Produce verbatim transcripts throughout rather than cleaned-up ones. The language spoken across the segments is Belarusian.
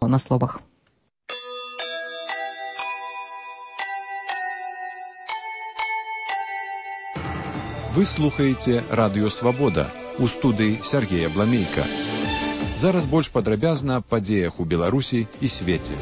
на словах. Вы слухаеце Радыё Свабода. У студыі Сергея Бламейка. Зараз больш падрабязна аб падзеях у Беларусі і свеце.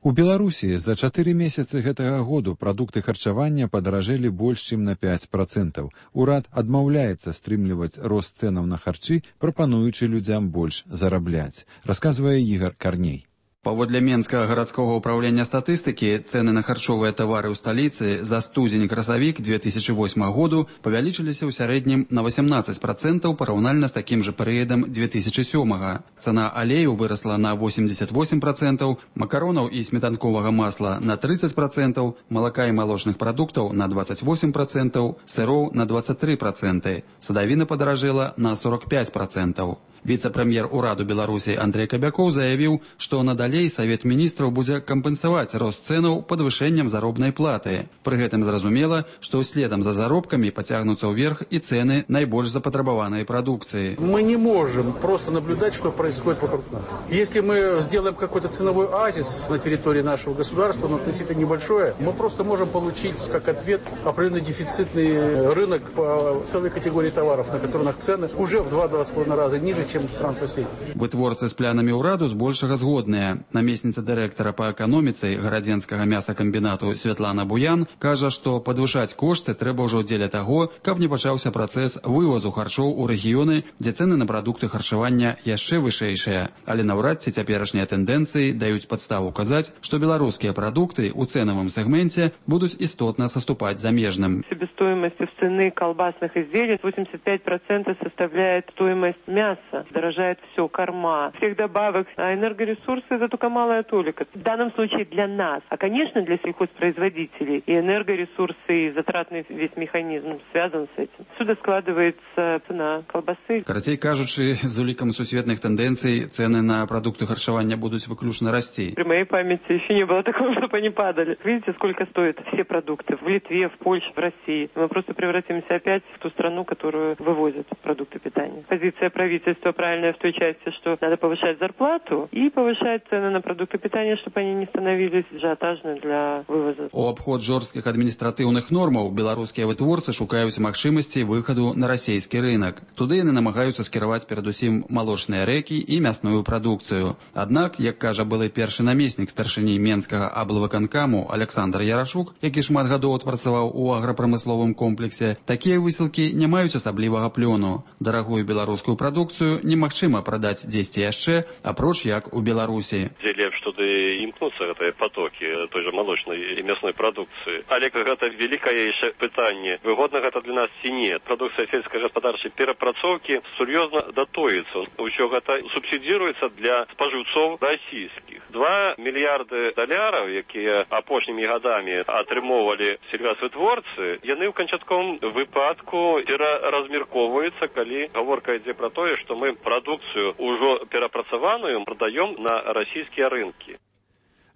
У Беларусі за чатыры месяцы гэтага году прадукты харчавання падаражэлі больш чым на пяць працэнтаў. Урад адмаўляецца стрымліваць рост цэнаў на харчы, прапануючы людзям больш зарабляць, расказвае Ігор Карней. Паводле Менскага гарадскога ўправлення статыстыкі, цэны на харчовыя тавары ў сталіцы за студзень-красавік две тысячы восьмага году павялічыліся ў сярэднім на васямнаццаць працэнтаў параўнальна з такім жа перыядам две тысячы сёмага. Цана алею вырасла на восемьдесят восемь працэнтаў, макаронаў і сметанковага масла на тридцать працэнтаў, малака і малочных прадуктаў на двадцать восемь працэнтаў, сыроў на двадцать три працэнты. Садавіна падаражэла на сорок пять працэнтаў. Віцэ-прэм'ер ураду Беларусі Андрей Кабякоў заявіў, што надалей Савет міністраў будзе кампенсаваць рост цэнаў падвышэннем заробнай платы. Пры гэтым зразумела, што следам за заробкамі пацягнуцца ўверх і цэны найбольш запатрабаванай прадукцыі. Мы не можем просто наблюдать, что происходит вокруг нас. Если мы сделаем какой-то ценовой оазис на территории нашего государства, но относительно небольшое, мы просто можем получить как ответ определенный дефицитный рынок по целой категории товаров, на которых цены уже в два-два с половиной раза ниже, чем стран соседей. Вытворцы з планамі ўраду збольшага згодныя. Намесніца дырэктара па эканоміцы гарадзенскага мясакамбінату Святлана Буян кажа, што падвышаць кошты трэба ўжо дзеля таго, каб не пачаўся працэс вывазу харчоў у рэгіёны, дзе цэны на прадукты харчавання яшчэ вышэйшыя. Але наўрад ці цяперашнія тэндэнцыі даюць падставу казаць, што беларускія прадукты ў цэнавым сегменте будуць істотна саступаць замежным. Себестоимость цены колбасных изделий восемьдесят пять процентов составляет стоимость мяса. Дорожает все, корма, всех добавок, а энергоресурсы это только малая толика. В данном случае для нас, а конечно для сельхозпроизводителей и энергоресурсы, и затратный весь механизм связан с этим. Сюда складывается цена колбасы. Карацей кажучы, з улікам сусветных тэндэнцый цены на продукты харчавання будут выключно расти. При моей памяти еще не было такого, чтобы они падали. Видите, сколько стоят все продукты в Литве, в Польше, в России. Мы просто превратимся опять в ту страну, которую вывозят продукты питания. Позиция правительства правильная в той части, что надо повышать зарплату и повышать цены на продукты питания, чтобы они не становились ажиотажны для вывоза. У абход жорсткіх адміністратыўных нормаў беларускія вытворцы шукаюць магчымасці выхаду на расійскі рынок. Туды яны намагаюцца скіраваць перадусім малочныя рэкі і мясную прадукцыю. Аднак, як кажа былы першы намеснік старшыні Менскага аблвыканкаму Александр Ярашук, які шмат гадоў адпрацаваў у аграпрамысловым комплексе, такія высілкі не маюць асаблівага плёну. Дарагую беларускую прадукцыю немагчыма прадаць дзесьці яшчэ, апроч як у Беларусі. Дзе лепш туды імкнуцца гэтыя потокі той жа малочнай і мясной прадукцыі. Але гэта вялікае яшчэ пытанне, выгодна гэта для нас ці не. Прадукцыя сельскагаспадарчай перапрацоўкі сур'ёзна датуецца. Усё гэта субсідіруецца для спажыўцоў расійскіх. Два мільярды даляраў, якія апошнімі гадамі атрымоўвалі сельгасвытворцы, яны ў канчатковым выпадку пераразмяркоўваюцца, калі гаворка ідзе пра тое, што мы прадукцыю ўжо перапрацаваную прадаём на расійскія рынкі.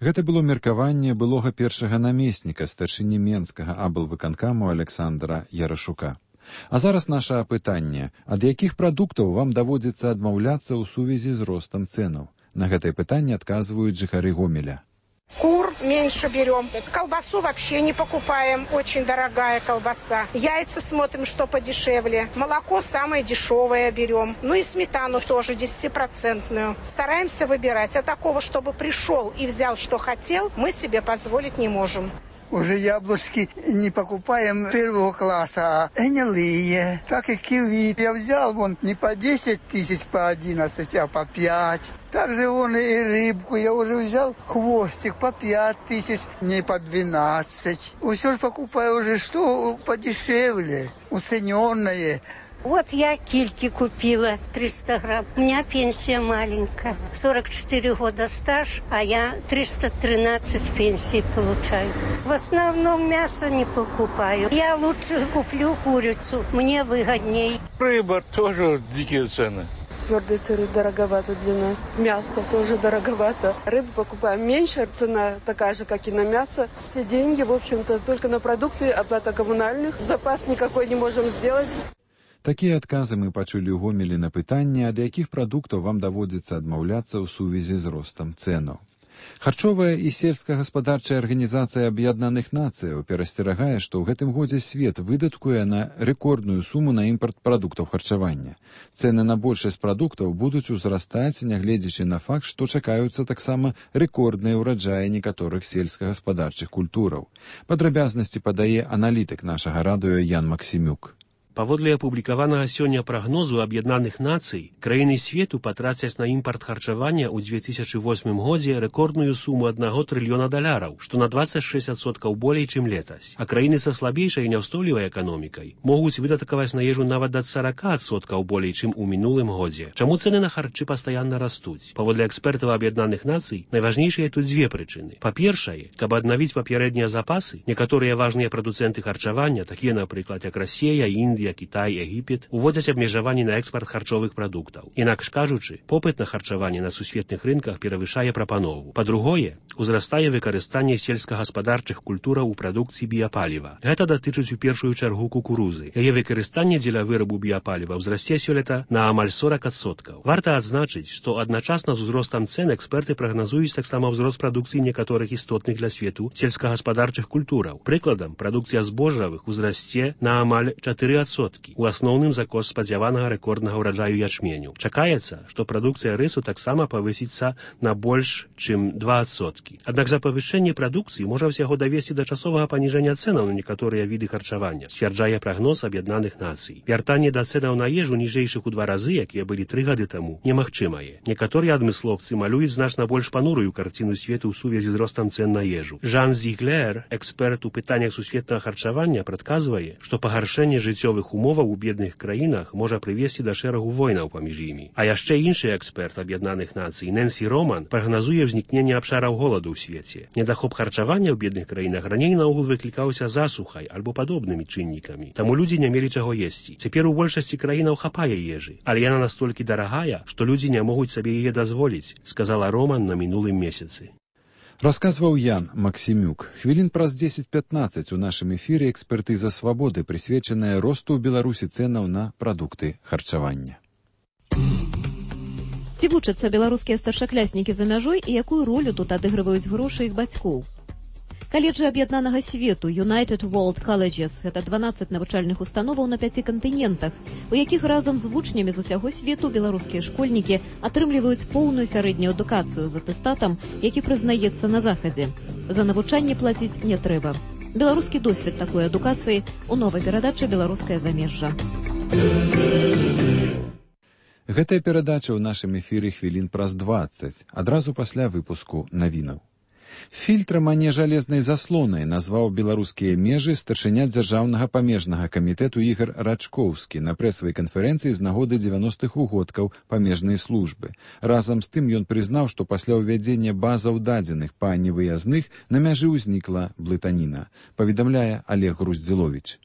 Гэта было меркаванне былога першага намесніка старшыні Менскага аблвыканкаму Александра Ярашука. А зараз наше пытанне. Ад якіх прадуктаў вам даводзіцца адмаўляцца ў сувязі з ростам цэнаў? На гэтае пытанне адказваюць жыхары Гомеля. Кур меньше берем. Колбасу вообще не покупаем. Очень дорогая колбаса. Яйца смотрим, что подешевле. Молоко самое дешевое берем. Ну и сметану тоже десятипроцентную. Стараемся выбирать. А такого, чтобы пришел и взял, что хотел, мы себе позволить не можем. Уже яблочки не покупаем первого класса, а гнилые. Так и киви. Я взял вон не по десять тысяч, по одиннадцать, а по пять. Также вон и рыбку я уже взял, хвостик по пять тысяч, не по двенадцать. Все же покупаю уже что подешевле, уцененное. Вот я кильки купила, триста грамм. У меня пенсия маленькая, сорок четыре года стаж, а я триста тринадцать пенсий получаю. В основном мясо не покупаю. Я лучше куплю курицу, мне выгодней. Рыба тоже дикие цены. Твердые сыры дороговато для нас. Мясо тоже дороговато. Рыбу покупаем меньше, цена такая же, как и на мясо. Все деньги, в общем-то, только на продукты, оплата коммунальных. Запас никакой не можем сделать. Такія адказы мы пачулі ў Гомелі на пытанне, ад якіх прадуктаў вам даводзіцца адмаўляцца ў сувязі з ростам цэнаў. Харчовая і сельскагаспадарчая арганізацыя Аб'яднаных Нацыяў перасцерагае, што ў гэтым годзе свет выдаткуе на рэкордную суму на імпарт прадуктаў харчавання. Цэны на большасць прадуктаў будуць узрастаць, нягледзячы на факт, што чакаюцца таксама рэкордныя ўраджаі некаторых сельскагаспадарчых культураў. Падрабязнасці падае аналітык нашага радыё Ян Максімюк. Паводле апублікаванага сёння прагнозу Аб'яднаных Нацый, краіны свету патрацяць на імпарт харчавання ў две тысячы восьмым годзе рэкордную суму аднаго трыльёна даляраў, што на дваццаць шэсць адсоткаў болей, чым летась. А краіны са слабейшай і няўстойлівай эканомікай могуць выдаткаваць на ежу нават да сорока адсоткаў болей, чым у мінулым годзе. Чаму цэны на харчы пастаянна растуць? Паводле экспертаў Аб'яднаных Нацый, найважнейшыя тут дзве прычыны. Па-першае, каб аднавіць папярэднія запасы, некаторыя важныя прадуцэнты харчавання, такія, напрыклад, як Расія, Індыя, Кітай, Егіпет, уводзяць абмежаванні на экспарт харчовых прадуктаў. Інакш кажучы, попыт на харчаванне на сусветных рынках перавышае прапанову. Па-другое, узрастае выкарыстанне сельскагаспадарчых культураў у прадукцыі біяпаліва. Гэта датычыць у першую чаргу кукурузы. Яе выкарыстанне дзеля вырабу біяпаліва ўзрасце сёлета на амаль сорок адсоткаў. Варта адзначыць, што адначасна з узростам цэн эксперты прагназуюць таксама ўзрост прадукцыі некаторых істотных для свету сельскагаспадарчых культураў. Прыкладам, прадукцыя збожжавых узрасце на амаль чатыры адсоткі. У асноўным за кошт спадзяванага рэкорднага ўраджаю ячменю. Чакаецца, што прадукцыя рысу таксама павысіцца на больш, чым два адсоткі. Аднак за павышэнне прадукцыі можа ўсяго давесці да часовага паніжэння цэнаў на некаторыя віды харчавання, сцвярджае прагноз Аб'яднаных Нацый. Вяртанне да цэнаў на ежу ніжэйшых у два разы, якія былі тры гады таму, немагчымае. Некаторыя адмысловцы малююць значна больш панурую карціну свету ў сувязі з ростам цэн на ежу. Жан Зіглер, эксперт у пытаннях сусветнага харчавання, прадказвае, што пагаршэнне жыццёвых умоваў у бедных краінах можа прывесці да шэрагу войнаў паміж імі. А яшчэ іншы эксперт Аб'яднаных Нацый, Нэнсі Роман, прагназуе ўзнікненне абшараў голаду ў свеце. Недахоп харчавання ў бедных краінах раней наогул выклікаўся засухай альбо падобнымі чыннікамі. Таму людзі не мелі чаго есці. Цяпер у большасці краінаў хапае ежы, але яна настолькі дарагая, што людзі не могуць сабе яе дазволіць, сказала Роман на мінулым месяцы. Расказваў Ян Максімюк. Хвілін праз дзесяць-пятнаццаць у нашым эфіры экспертыза свабоды, прысвечаная росту ў Беларусі цэнаў на прадукты харчавання. Ці вучацца беларускія старшакляснікі за мяжой і якую ролю тут адыгрываюць грошы іх бацькоў? Каледжы аб'яднанага свету United World Colleges – гэта дванаццаць навучальных установаў на пяці кантынентах, у якіх разам з вучнямі з усяго свету беларускія школьнікі атрымліваюць поўную сярэднюю адукацыю з атэстатам, які прызнаецца на захадзе. За навучанне плаціць не трэба. Беларускі досвед такой адукацыі у новай перадачы «Беларускае замежжа». Гэтая перадача ў нашым эфіры хвілін праз дваццаць, адразу пасля выпуску навінаў. Фільтрам, а не жалезнай заслонай назваў беларускія межы старшыня дзяржаўнага памежнага камітэту Ігар Рачкоўскі на прэсавай канферэнцыі з нагоды дзевяностых угодкаў памежнай службы. Разам з тым ён прызнаў, што пасля ўвядзення базаў дадзеных па невыязных на мяжы ўзнікла блытаніна, паведамляе Олег Груздзіловіч.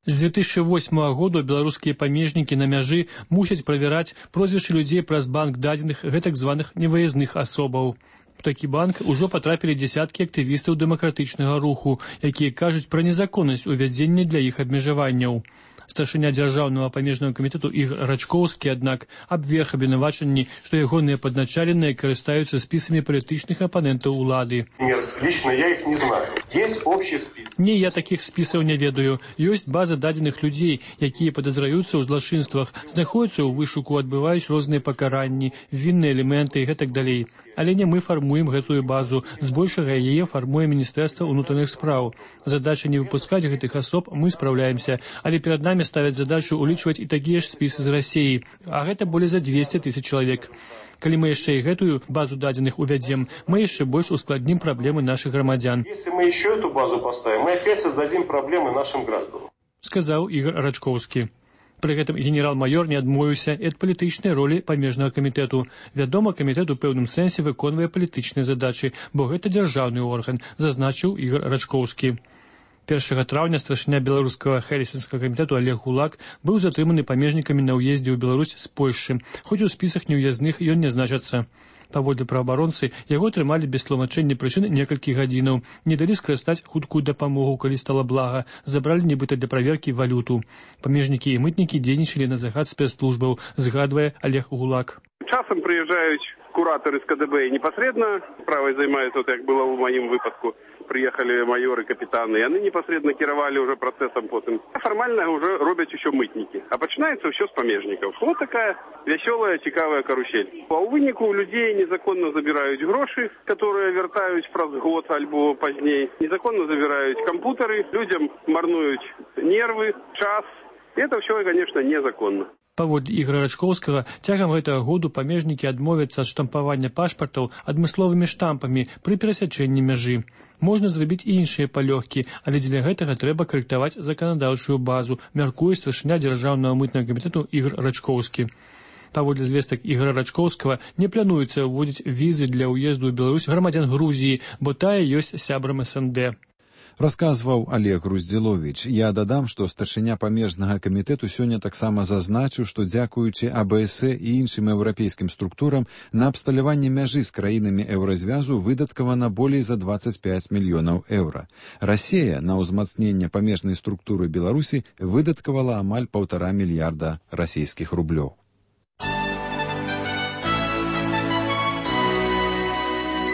З две тысячи восьмого года беларускія памежнікі на мяжы мусяць правяраць прозвішчы людзей праз банк дадзеных гэтак званых невыязных асобаў. У такі банк ужо патрапілі дзесяткі актывістаў дэмакратычнага руху, якія кажуць пра незаконнасць увядзення для іх абмежаванняў. Старшыня дзяржаўнага памежнага камітэту Ігар Рачкоўскі, аднак, абверг абвінавачанні, што ягоныя падначаленыя карыстаюцца спісамі палітычных апанентаў улады. Нет, лично я их не знаю. Есть общий список. Не, я такіх спісаў не ведаю. Ёсць база дадзеных людзей, якія падазраюцца ў злачынствах, знаходзяцца ў вышуку, адбываюць розныя пакаранні, вінныя элементы і гэтак далей. Але не мы фармуем гэтую базу, збольшага яе фармуе Міністэрства ўнутраных спраў. Задача не выпускаць гэтых асоб мы спраўляемся, але перад нами ставяць задачу улічваць і такія ж спісы з Расіі, а гэта болей за двести тысяч чалавек. Калі мы яшчэ і гэтую базу дадзеных увядзем, мы яшчэ больш ускладнім праблемы нашых грамадзян. Если мы еще эту базу поставим, мы опять создадим проблемы нашим гражданам, сказаў Ігар Рачкоўскі. Пры гэтым генерал-майор не адмовіўся ад палітычнай ролі памежнага камітэту. Вядома, камітэт у пэўным сэнсе выконвае палітычныя задачы, бо гэта дзяржаўны орган, зазначыў Ігар Рачкоўскі. першага траўня старшыня беларускага хелсінскага камітэту Олег Гулак быў затрыманы памежнікамі на ўездзе ў Беларусь з Польшчы, хоць у спісах неўязных ён не значыцца. Паводле праваабаронцы, яго трымалі без тлумачэння прычын некалькі гадзінаў, не далі скарыстаць хуткую дапамогу, калі стала блага, забралі нібыта для праверкі валюту. Памежнікі і мытнікі дзейнічалі на загад спецслужбаў, згадвае Олег Гулак. Часам прыязджаюць куратары з ка дэ бэ непасрэдна справай займаюцца, вот як было ў маім выпадку. Приехали майоры, капитаны, и они непосредственно кировали уже процессом потом. Формально уже робят еще мытники. А начинается все с помежников. Вот такая веселая, цікавая карусель. А у вынику у людей незаконно забирают гроши, которые вертают праз год альбо позднее. Незаконно забирают компьютеры, людям марнуют нервы, час. И это все, конечно, незаконно. Паводле Ігора Рачкоўскага, цягам гэтага году памежнікі адмовяцца ад штампавання пашпартаў адмысловымі штампамі пры перасячэнні мяжы. Можна зрабіць і іншыя палёгкі, але дзеля гэтага трэба карэктаваць заканадаўчую базу, мяркуе старшыня дзяржаўнага мытнага камітэту Ігор Рачкоўскі. Паводле звестак Ігора Рачкоўскага, не плануецца ўводзіць візы для ўезду ў Беларусь грамадзян Грузіі, бо тая ёсць сябрам эс эн дэ. Расказваў Олег Руздзіловіч. Я дадам, што старшыня памежнага камітэту сёння таксама зазначыў, што дзякуючы а бэ эс э і іншым еўрапейскім структурам на абсталяванне мяжы з краінамі еўразвязу выдаткавана болей за дваццаць пяць мільёнаў еўра. Расія на ўзмацненне памежнай структуры Беларусі выдаткавала амаль паўтара мільярда расійскіх рублёў.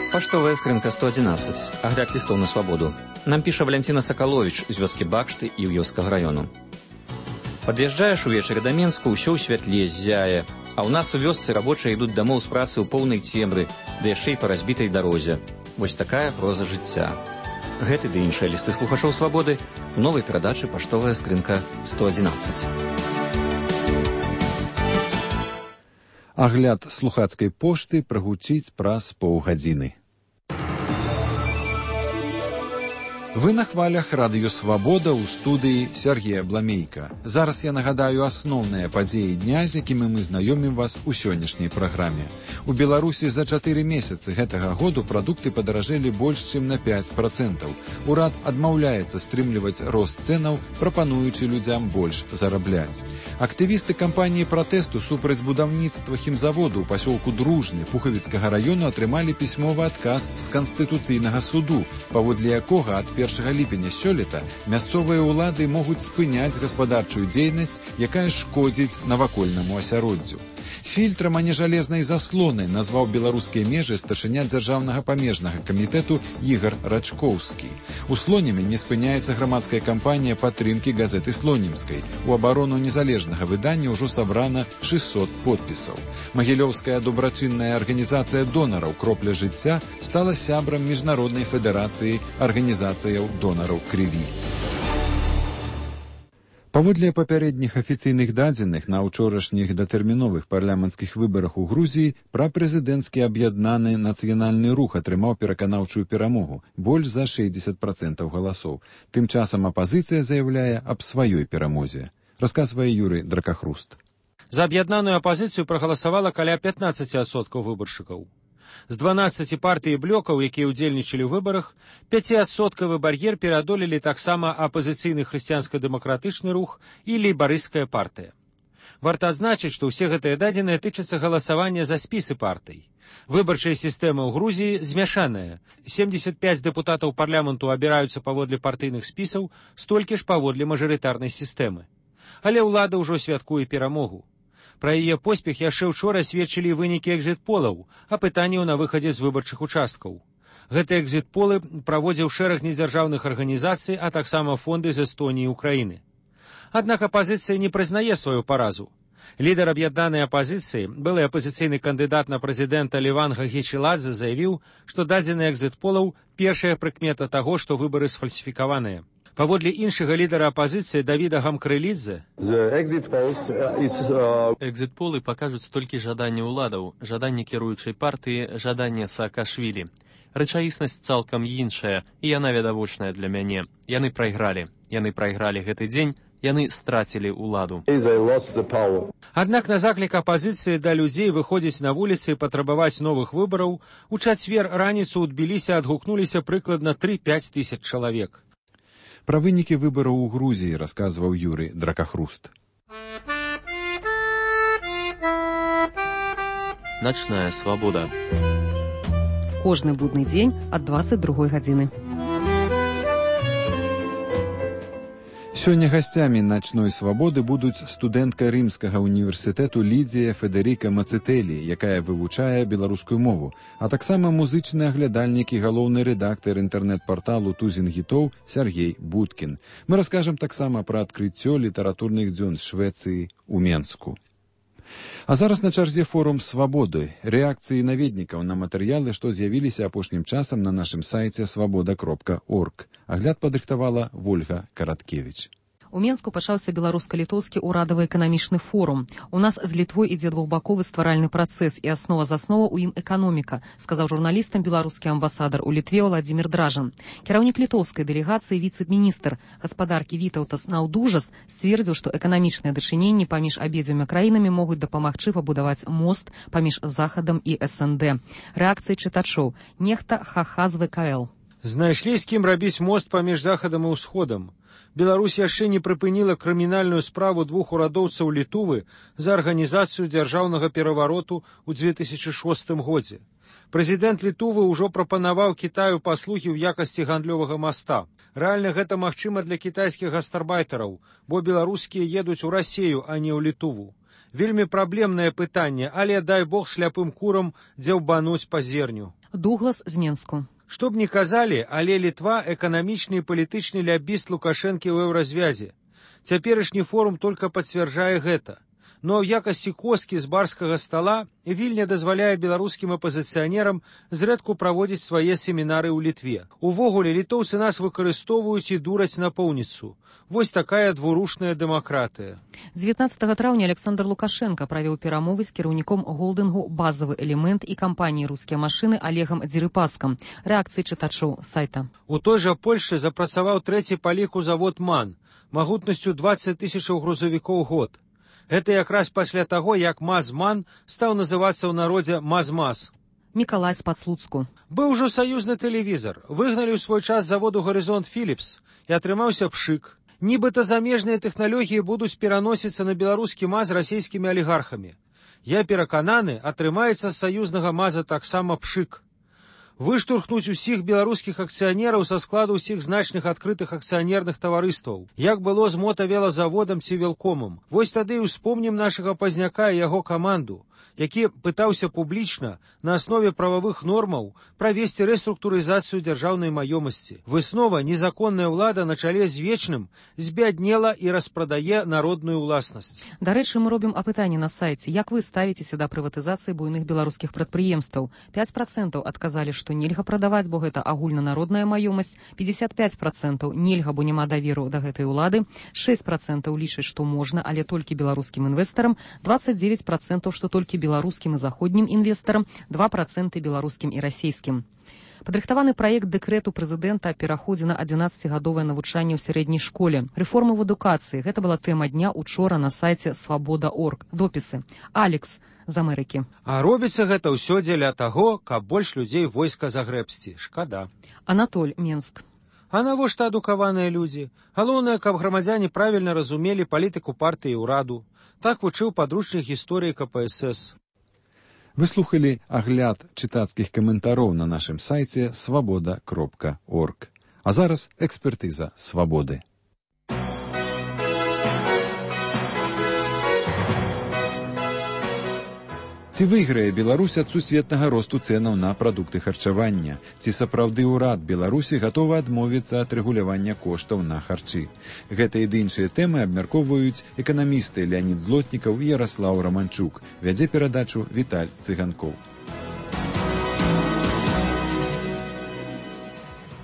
Паштовая скрынка сто адзінаццаць. Агляд лістоў на свабоду. Нам піша Валянціна Сакаловіч з вёскі Бакшты і Іўёўскага раёну. Пад'язджаеш увечары да Менску, ўсё ў святле ззяе, а ў нас у вёсцы рабочыя ідуць дамоў з працы ў поўнай цемры, да яшчэ і па разбітай дарозе. Вось такая проза жыцця. Гэты ды іншыя лісты слухачоў свабоды у новай перадачы «Паштовая скрынка сто адзінаццаць». Агляд слухацкай пошты прагучыць праз паўгадзіны. Вы на хвалях радыё «Свабода» ў студыі Сергея Бламейка. Зараз я нагадаю асноўныя падзеі дня, з якімі мы знаёмім вас у сённяшняй праграме. У Беларусі за чатыры месяцы гэтага году прадукты падаражэлі больш чым на пяць працэнтаў. Урад адмаўляецца стрымліваць рост цэнаў, прапануючы людзям больш зарабляць. Актывісты кампаніі пратэсту супраць будаўніцтва хімзаводу ў пасёлку Дружны Пухавіцкага раёну атрымалі пісьмовы адказ з Канстытуцыйнага суду, паводле якога ад першага ліпеня сёлета мясцовыя ўлады могуць спыняць гаспадарчую дзейнасць, якая шкодзіць навакольнаму асяроддзю. Фільтрам, а не жалезнай заслонай назваў беларускія межы старшыня дзяржаўнага памежнага камітэту Ігор Рачкоўскі. У Слонеме не спыняецца грамадская кампанія падтрымкі газеты Слонемскай. У абарону незалежнага выдання ўжо сабрана шэсцьсот подпісаў. Магілёўская добрачынная арганізацыя донараў «Кропля жыцця» стала сябрам міжнароднай федэрацыі арганізацыяў донараў крыві. Паводле папярэдніх афіцыйных дадзеных на ўчорашніх датэрміновых парламенцкіх выбарах у Грузіі прапрэзідэнцкі аб'яднаны нацыянальны рух атрымаў пераканаўчую перамогу, больш за шэсцьдзесят працэнтаў галасоў. Тым часам апазіцыя заяўляе аб сваёй перамозе. Расказвае Юрый Дракахруст. За аб'яднаную апазіцыю прагаласавала каля пятнаццаць адсоткаў выбаршчыкаў. З дванаццаці партый і блёкаў, якія ўдзельнічалі ў выбарах, пяціадсоткавы бар'ер пераадолелі таксама апазіцыйны хрысціянска-дэмакратычны рух і лейбарысцкая партыя. Варта адзначыць, што ўсе гэтыя дадзеныя тычацца галасавання за спісы партый. Выбарчая сістэма ў Грузіі змяшаная. семдзесят пяць дэпутатаў парламенту абіраюцца паводле партыйных спісаў, столькі ж паводле мажарытарнай сістэмы. Але ўлада ўжо святкуе перамогу. Пра яе поспех яшчэ ўчора сведчылі вынікі экзіт-полаў, апытанняў на выхадзе з выбарчых участкаў. Гэтыя экзіт-полы праводзіў шэраг недзяржаўных арганізацый, а таксама фонды з Эстоніі і Украіны. Аднак апазіцыя не прызнае сваю паразу. Лідар аб'яднанай апазіцыі, былы апазіцыйны кандыдат на прэзідэнта Леван Гагічеладзе заявіў, што дадзены экзіт-полаў першая прыкмета таго, што выбары сфальсіфікаваныя. Паводле іншага лідара апазіцыі Давіда Гамкрэлідзе, экзіт-полы пакажуць толькі жаданне ўладаў, жаданне кіруючай партыі, жаданне Саакашвілі. Рэчаіснасць цалкам іншая, і яна відавочная для мяне. Яны прайгралі. Яны прайгралі гэты дзень, яны страцілі ўладу. Аднак на заклік апазіцыі да людзей выходзіць на вуліцы і патрабаваць новых выбараў, у чацвер раніцу ў Тбілісі адгукнуліся прыкладна тры-пяць тысяч чалавек. Пра вынікі выбараў у Грузіі расказваў Юрый Дракахруст. начная свабода. Кожны будны дзень ад дваццаць другой гадзіны. Сёння гасцямі начной свабоды будуць студэнтка рымскага універсітэту Лідзія Федэріка Мацэтэлі, якая вывучае беларускую мову, а таксама музычны аглядальнік і галоўны рэдактар інтэрнэт-парталу «Тузін гітоў» Сяргей Будкін. Мы раскажам таксама пра адкрыццё літаратурных дзён Швецыі ў Менску. А зараз на чарзе форум «Свабоды» – рэакцыі наведнікаў на матэрыялы, што з'явіліся апошнім часам на нашым сайце свабода кропка орг. Агляд падрыхтавала Вольга Караткевіч. У Менску пачаўся беларуска-літоўскі ўрадавы эканамічны форум. У нас з Літвой ідзе двухбаковы стваральны працэс, і аснова заснова ў ім эканоміка, сказаў журналістам беларускі амбасадар у Літве Владзімір Дражан. Кіраўнік літоўскай дэлегацыі віцэ-міністр гаспадаркі Вітаўтас Наўдужас сцвердзіў, што эканамічныя дачыненні паміж абедзвюма краінамі могуць дапамагчы пабудаваць мост паміж Захадам і эс эн дэ. Рэакцыі чытачоў. Нехта ха-ха з вэ ка эл. Знайшлі з кім рабіць мост паміж Захадам і Ўсходам. Беларусь яшчэ не прыпыніла крымінальную справу двух урадоўцаў Літувы за арганізацыю дзяржаўнага перавароту ў дзве тысячы шостым годзе. Прэзідэнт Літувы ўжо прапанаваў Кітаю паслугі ў якасці гандлёвага моста. Рэальна гэта магчыма для кітайскіх гастарбайтараў, бо беларускія едуць у Расею, а не ў Літуву. Вельмі праблемнае пытанне, але дай бог шляпым курам дзяўбануць па зерню. Дуглас з Менску. Што б ні казалі, але Літва эканамічны і палітычны лябіст Лукашэнкі ў еўразвязе. Цяперашні форум толькі пацвярджае гэта. Но ў якасці косткі з барскага стала Вільня дазваляе беларускім апазіцыянерам зрэдку праводзіць свае семінары ў Літве. Увогуле, літоўцы нас выкарыстоўваюць і дураць напоўніцу. Вось такая двурушная дэмакратыя. дзевятнаццатага траўня Александр Лукашенко правёў перамовы з кіраўніком голдынгу «Базавы элемент» і кампаніі «Рускія машыны» Олегам Дзерыпаскам. Рэакцыі чытачоў сайта. У той жа Польшчы запрацаваў трэці па ліку завод «МАН» магутнасцю дваццаць тысячаў грузавікоў год. Гэта якраз пасля таго, як МАЗ-МАН стаў называцца ў народзе МАЗ-МАЗ. Мікалай з Пацлуцку. Быў ужо саюзны тэлевізар. Выгналі ў свой час заводу «Гарызонт Філіпс» і атрымаўся пшык. Нібыта замежныя тэхналогіі будуць пераносіцца на беларускі МАЗ расійскімі алігархамі. Я перакананы, атрымаецца з саюзнага МАЗа таксама пшык. Выштурхнуць усіх беларускіх акцыянераў са складу ўсіх значных адкрытых акцыянерных таварыстваў, як было з мотавелазаводам ці велкомам. Вось тады і ўспомнім нашага пазняка і яго каманду, які пытаўся публічна на аснове прававых нормаў правесці рэструктурызацыю дзяржаўнай маёмасці. Выснова незаконная ўлада на чале з вечным збяднела і распрадае народную ўласнасць. Дарэчы, мы робім апытанне на сайце. Як вы ставіцеся да прыватызацыі буйных беларускіх прадпрыемстваў? пяць працэнтаў адказалі, што нельга прадаваць, бо гэта агульнанародная маёмасць. пятьдесят пять працэнтаў нельга, бо няма даверу да гэтай улады. шэсць працэнтаў лічаць, што можна, але толькі беларускім інвестарам. двадцать девять працэнтаў, што толькі беларускім і заходнім інвестарам, два працэнты беларускім і расійскім. Падрыхтаваны праект дэкрэту прэзідэнта о пераходзе на адзінаццацігадовае навучанне ў сярэдняй школе. Рэформы в адукацыі. Гэта была тэма дня учора на сайце свабода кропка орг. Допісы. Алекс з Амерыкі. А робіцца гэта ўсё дзеля таго, каб больш людзей войска загрэбсці. Шкада. Анатоль, Менск. А навошта адукаваныя людзі? Галоўнае, каб грамадзяне правільна разумелі палітыку партыі і ўраду. Так вучыў падручнік гісторыі ка пэ эс эс. Вы слухалі агляд чытацкіх каментароў на нашым сайце свабода кропка орг. А зараз экспертыза свабоды. Ці выйграе Беларусь ад сусветнага росту цэнаў на прадукты харчавання? Ці сапраўды ўрад Беларусі гатовы адмовіцца ад рэгулявання коштаў на харчы? Гэта і іншыя тэмы абмяркоўваюць эканамісты Леанід Злотнікаў і Яраслаў Раманчук. Вядзе перадачу Віталь Цыганкоў.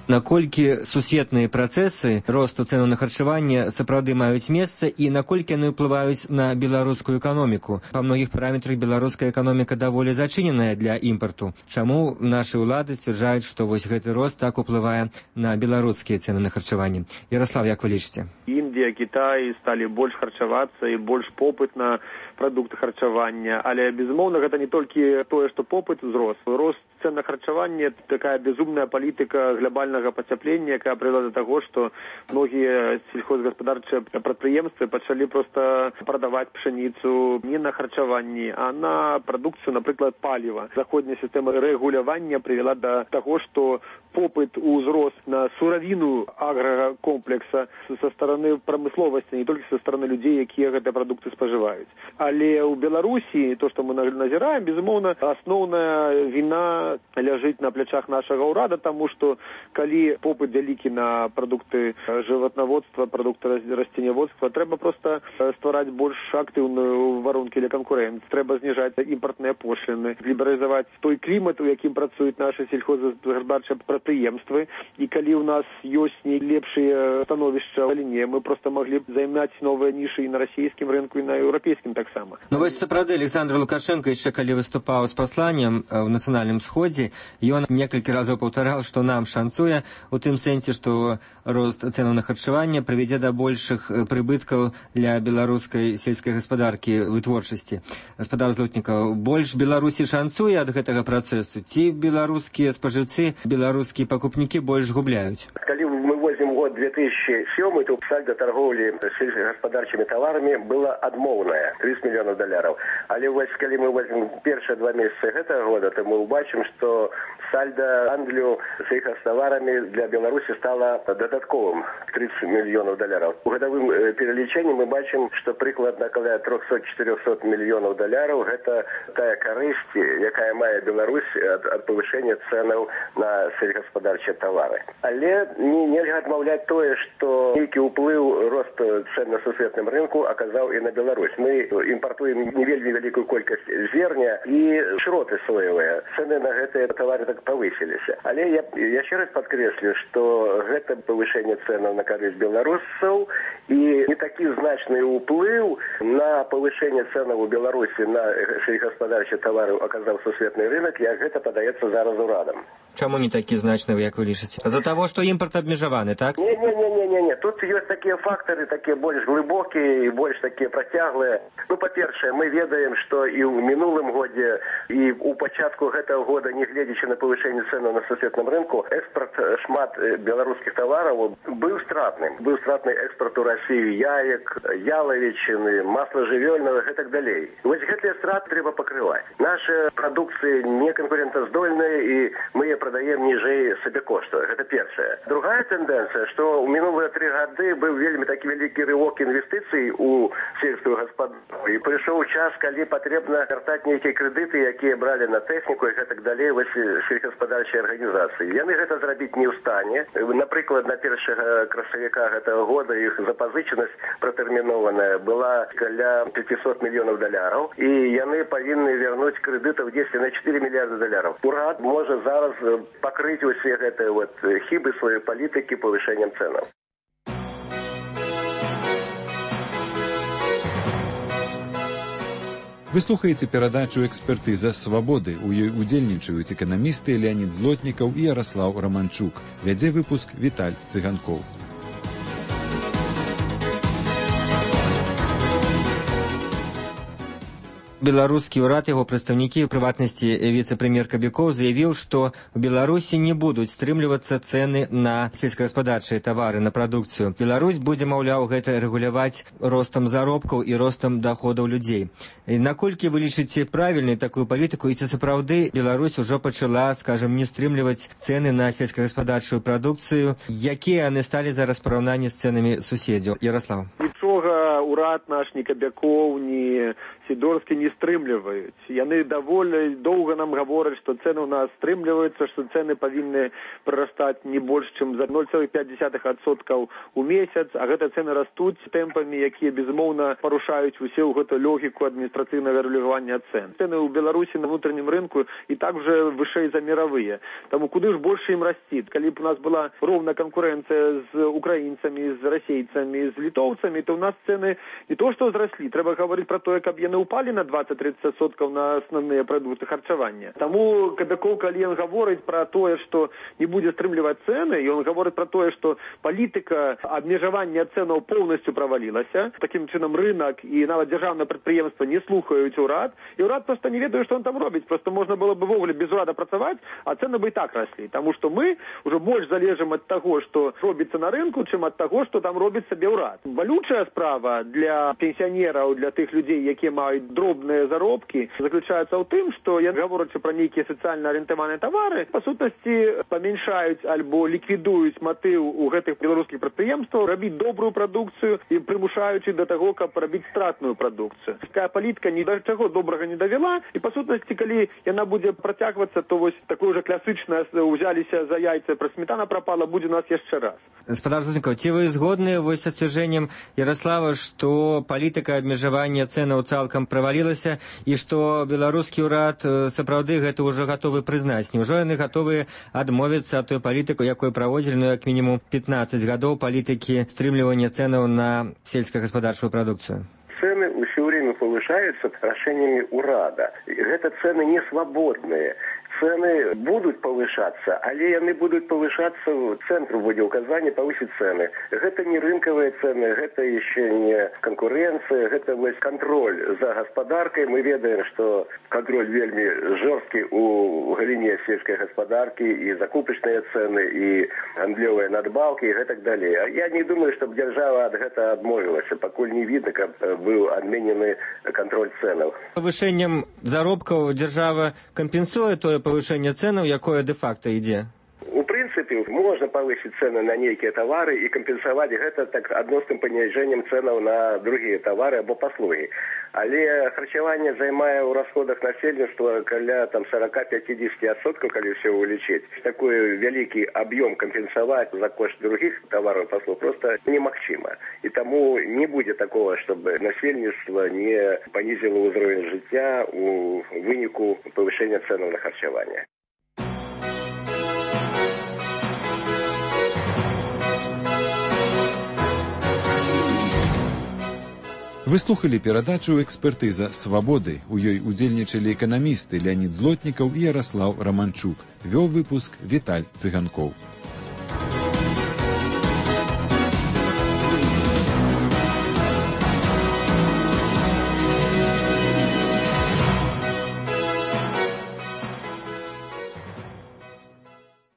Наколькі сусветныя працэсы росту цэнаў на харчаванне сапраўды маюць месца і наколькі яны ўплываюць на беларускую эканоміку? Па многіх параметрах беларуская эканоміка даволі зачыненая для імпарту. Чаму нашы ўлады сцвярджаюць, што вось гэты рост так уплывае на беларускія цэны на харчаванне? Яраслав, як вы лічыце? Ім Індія, Кітай сталі больш харчавацца і больш попыт на прадукты харчавання. Але, безумоўна, гэта не толькі тое, што попыт узрос. Рост цен на харчаванне – такая безумная палітыка глобальнага пацяплення, якая прывяла да таго, што многія сельхозгаспадарчыя прадпрыемствы пачалі проста прадаваць пшаніцу не на харчаванні, а на прадукцыю, напрыклад, паліва. Заходняя сістэма рэгулявання прывяла да таго, што попыт узрос на суравіну агракомплекса са стороны прамысловасці, не толькі са стороны людзей, якія гэтыя прадукты спажываюць. Але ў Беларусі, то, што мы назіраем, безумоўна, асноўная віна ляжыць на плячах нашага ўрада, таму што калі попыт вялікі на прадукты жыватнаводства, прадукты расценяводства, трэба проста ствараць больш актыўную варункі для канкурэнцыі. Трэба зніжаць імпартныя пошліны, лібералізаваць той клімат, у якім працуюць нашы сельхозгаспадарчыя прадпрыемствы. І калі ў нас ёсць найлепшыя становішча ў галіне, мы проста маглі б займаць новыя нішы і на расійскім рынку, і на еўрапейскім таксама. Ну вось сапраўды Александр Лукашенко яшчэ калі выступаў з пасланнем ў нацыянальным сходзе, ён некалькі разоў паўтараў, што нам шанцуе у тым сэнсе, што рост цэнаў на харчаванне прывядзе да большых прыбыткаў для беларускай сельскай гаспадаркі вытворчасці. Гаспадар Злотнікаў, больш Беларусі шанцуе ад гэтага працэсу, ці беларускія спажыўцы, беларускія пакупнікі больш губляюць? Калі мы возьмем год две тысячи седьмой, то сальдо торговли сельскохозяйственными товарами было адмоўнае тридцать миллионов долларов. Але вось калі мы возьмем первые два месяца этого года, то мы убачим, что сальдо гандлю сельхозтоварами для Беларуси стало додатковым тридцать миллионов долларов. У годовым перелічэнні мы бачим, что прыкладна каля триста-четыреста миллионов долларов это тая карысць, якая мае Беларусь ад, ад повышения ценаў на сельскохозяйственные товары. Але не, нельга адмаўляць тое, што нейкі ўплыў рост цен на сусветным рынку аказаў і на Беларусь. Мы імпартуем не вельмі вялікую колькасць зерня і шроты соевыя. Цены на гэтыя товары так павысіліся. Але я яшчэ раз падкрэслю, што гэта павышэнне ценаў на карысць беларусаў і не такі значны ўплыў на павышэнне ценаў у Беларусі на сельскохозяйственные товары аказаў сусветны рынок, як гэта падаецца зараз урадам. Чаму не такі значны, як вы лічыце? З-за таго, што імпорт абмежаваны, так? Не, не, не, не, не, не. Тут ёсць такія фактары, такія больш глыбокія і больш такія працяглыя. Ну, па-першае, мы ведаем, што і ў мінулым годзе, і ў пачатку гэтага года, не гледзячы на павышэнне цэнаў на сусветным рынку, экспорт шмат беларускіх тавараў быў стратным. Быў стратны экспорт у Расію яек, ялавічыны, масла жывёльнага і так далей. Вось гэтыя страты трэба пакрываць. Наша прадукцыя не канкурентаздольная, і мы яе продаем ніжэй сабекошту. Гэта першае. Другая тэндэнцыя, што ў мінулыя тры гады быў вельмі такі вялікі рывок інвестыцый у сельскую гаспадарку. І прыйшоў час, калі патрэбна вяртаць нейкія крэдыты, якія бралі на тэхніку і гэтак далей вось сельскагаспадарчыя арганізацыі. Яны гэта зрабіць не ў стане. Напрыклад, на першага красавіка гэтага года іх запазычанасць пратэрмінованая была каля пятьсот мільёнаў даляраў, і яны павінны вярнуць крэдытаў дзесьці на четыре мільярда даляраў. Урад можа зараз пакрыць усе гэтыя вот хібы сваёй палітыкі павышэннем цэнаў. Вы слухаеце перадачу «Экспертыза свабоды». У ёй удзельнічаюць эканамісты Леонид Злотнікаў і Ярослаў Романчук. Вядзе выпуск Віталь Цыганкоў. Беларускі ўрад, яго прадстаўнікі, у прыватнасці віцэ-прэм'ер Кабякоў, заявіў, што ў Беларусі не будуць стрымлівацца цэны на сельскагаспадарчыя тавары, на прадукцыю. Беларусь будзе, маўляў, гэта рэгуляваць ростам заробкаў і ростам даходаў людзей. І наколькі вы лічыце правільнай такую палітыку, і ці сапраўды Беларусь ужо пачала, скажам, не стрымліваць цэны на сельскагаспадарчую прадукцыю? Якія яны сталі зараз параўнанні з цэнамі суседзяў? Ярослав. Нічога ўрад наш, ні Кабякоў, ні Сідорскі не стрымліваюць. Яны даволі доўга нам гавораць, што цэны ў нас стрымліваюцца, што цэны павінны прырастаць не больш, чым за ноль цэлых пяць дзесятых адсоткаў у месяц, а гэта цэны растуць тэмпамі, якія, безумоўна, парушаюць усе ў гэту логіку адміністрацыйнага рэгулявання цэн. Цэны ў Беларусі на внутреннім рынку і так уже вышэй за мировыя. Таму куды ж больш ім расці? Калі б у нас была роўная канкурэнцыя з украінцамі, з расейцамі, з літоўцамі, то ў нас цэны цены не то што зраслі, трэба гаварыць пра тое, каб яны ўпалі на двадцать-тридцать адсоткаў на асноўныя прадукты харчавання. Таму Кадыкоў, калі ён гаворыць пра тое, што не будзе стрымліваць цэны, і ён гаворыць пра тое, што палітыка абмежавання цэнаў поўнасцю правалілася. Такім чынам рынок і нават дзяржаўнае прадпрыемства не слухаюць урад, і урад проста не ведае, што он там робіць. Проста можна было бы ввогуле без урада працаваць, а цэны бы і так раслі. Таму што мы ўжо больш залежым ад таго, што робіцца на рынку, чым ад таго, што там робіць сабе ўрад. Балючая справа для пенсіянераў, для тых людзей, якія маюць дробныя заробкі, заключаецца ў тым, што я гаворачы пра нейкія сацыяльна арыентаваныя тавары, па сутнасці памяншаюць альбо ліквідуюць матыў у гэтых беларускіх прадпрыемстваў рабіць добрую прадукцыю і прымушаючы да таго, каб рабіць стратную прадукцыю. Такая палітыка ні да чаго добрага не давяла, і па сутнасці, калі яна будзе працягвацца, то вось такое ўжо класычнае ўзяліся за яйца, пра сметана прапала, будзе у нас яшчэ раз. Гаспадар Зотнікаў, ці вы згодныя вось са сцвярджэннем Ярослава, што палітыка абмежавання цэнаў цалкам правалілася і што беларускі ўрад сапраўды гэта ўжо гатовы прызнаць? Няўжо яны гатовыя адмовіцца ад той палітыкі, якой праводзілі, ну, як мінімум пятнаццаць гадоў палітыкі стрымлівання цэнаў на сельскагаспадарчую прадукцыю? Цены все время повышаются решениями урада. Это цены не свободные. Цены будут повышаться, але яны будут повышаться, в центру будет указание повысить цены. Это не рынковые цены, это еще не конкуренция, это вот контроль за господаркой. Мы ведаем, что контроль вельми жесткий у галине сельской господарки, и закупочные цены, и гандлевые надбавки, и так далее. Я не думаю, чтобы держава от этого отмовилась, покуль не видно, как был отменены контроль ценов. Повышением заробков держава компенсует то повышение ценаў, якое де-факто ідзе? У прынцыпе, можна павысіць цены на нейкія тавары і кампенсаваць гэта так адносным паніжэннем цэнаў на другія тавары або паслугі. Але харчаванне займае ў расходах насельніцтва каля там сорок-пятьдесят адсоткаў, калі ўсё вылічыць. Такой вялікі аб'ём кампенсаваць за кошт другіх тавараў паслуг просто немагчыма. І таму не будзе такого, чтобы насельніцтва не панізіла ўзровень жыцця у выніку павышэння цэнаў на харчаванне. Вы слухали перадачу «Экспертыза свабоды». У ёй удзельнічалі эканамісты Леонид Злотнікаў і Ярослав Романчук. Вёў выпуск Віталь Цыганкоў.